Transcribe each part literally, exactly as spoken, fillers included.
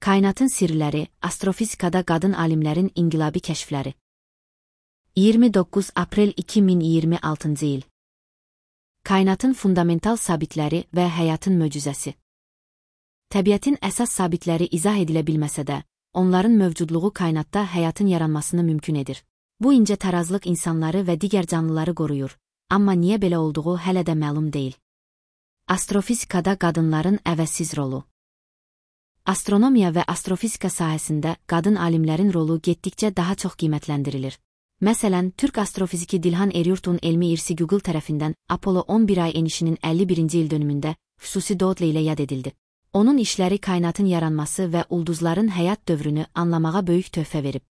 Kainatın sirləri, astrofizikada qadın alimlərin inqilabi kəşfləri. iyirmi doqquz aprel iki min iyirmi altıncı il. Kainatın fundamental sabitləri və həyatın möcüzəsi. Təbiətin əsas sabitləri izah edilə bilməsə də, onların mövcudluğu kainatda həyatın yaranmasını mümkün edir. Bu incə tarazlıq insanları və digər canlıları qoruyur, amma niyə belə olduğu hələ də məlum deyil. Astrofizikada qadınların əvəzsiz rolu. Astronomiya və astrofizika sahəsində qadın alimlərin rolu getdikcə daha çox qiymətləndirilir. Məsələn, Türk astrofiziki Dilhan Eryurt'un elmi irsi Google tərəfindən Apollo on bir ay enişinin əlli birinci il dönümündə xüsusi dodla ilə yad edildi. Onun işləri kainatın yaranması və ulduzların həyat dövrünü anlamağa böyük töhfə verib.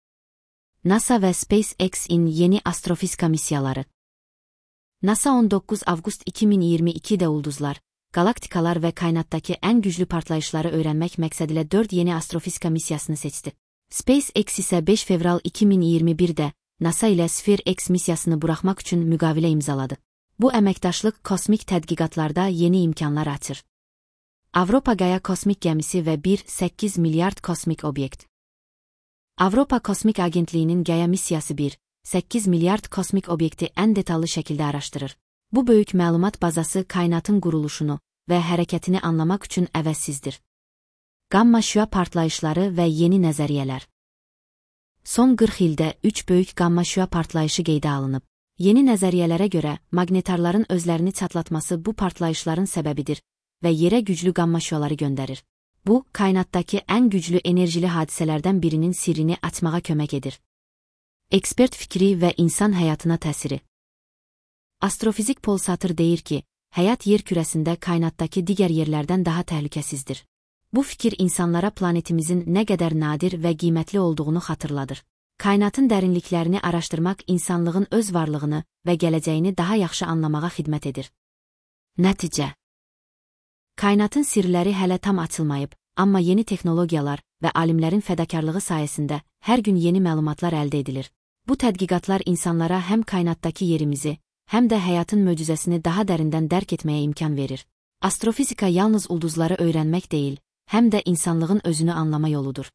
NASA və SpaceX-in yeni astrofizika missiyaları. NASA on doqquz avqust iki min iyirmi ikidə ulduzlar, qalaktikalar və kainatdakı ən güclü partlayışları öyrənmək məqsədilə dörd yeni astrofizika missiyasını seçdi. SpaceX isə beş fevral iki min iyirmi birdə NASA ilə Sphere-X missiyasını buraxmaq üçün müqavilə imzaladı. Bu əməkdaşlıq kosmik tədqiqatlarda yeni imkanlar açır. Avropa Qaya Kosmik Gəmisi və bir nöqtə səkkiz milyard kosmik obyekt. Avropa Kosmik Agentliyinin Qaya missiyası bir nöqtə səkkiz milyard kosmik obyekti ən detallı şəkildə araşdırır. Bu böyük məlumat bazası kainatın quruluşunu və hərəkətini anlamaq üçün əvəzsizdir. Qamma şüa partlayışları və yeni nəzəriyyələr. Son qırx ildə üç böyük qamma şüa partlayışı qeydə alınıb. Yeni nəzəriyyələrə görə maqnetarların özlərini çatlatması bu partlayışların səbəbidir və yerə güclü qamma şüaları göndərir. Bu, kainatdakı ən güclü enerjili hadisələrdən birinin sirrini açmağa kömək edir. Ekspert fikri və insan həyatına təsiri. Astrofizik Paul Sutter deyir ki, həyat yer kürəsində kainatdakı digər yerlərdən daha təhlükəsizdir. Bu fikir insanlara planetimizin nə qədər nadir və qiymətli olduğunu xatırladır. Kainatın dərinliklərini araşdırmaq insanlığın öz varlığını və gələcəyini daha yaxşı anlamağa xidmət edir. Nəticə. Kainatın sirləri hələ tam açılmayıb, amma yeni texnologiyalar və alimlərin fədakarlığı sayəsində hər gün yeni məlumatlar əldə edilir. Bu tədqiqatlar insanlara həm kainatdakı yerimizi, həm də həyatın möcüzəsini daha dərindən dərk etməyə imkan verir. Astrofizika yalnız ulduzları öyrənmək deyil, həm də insanlığın özünü anlama yoludur.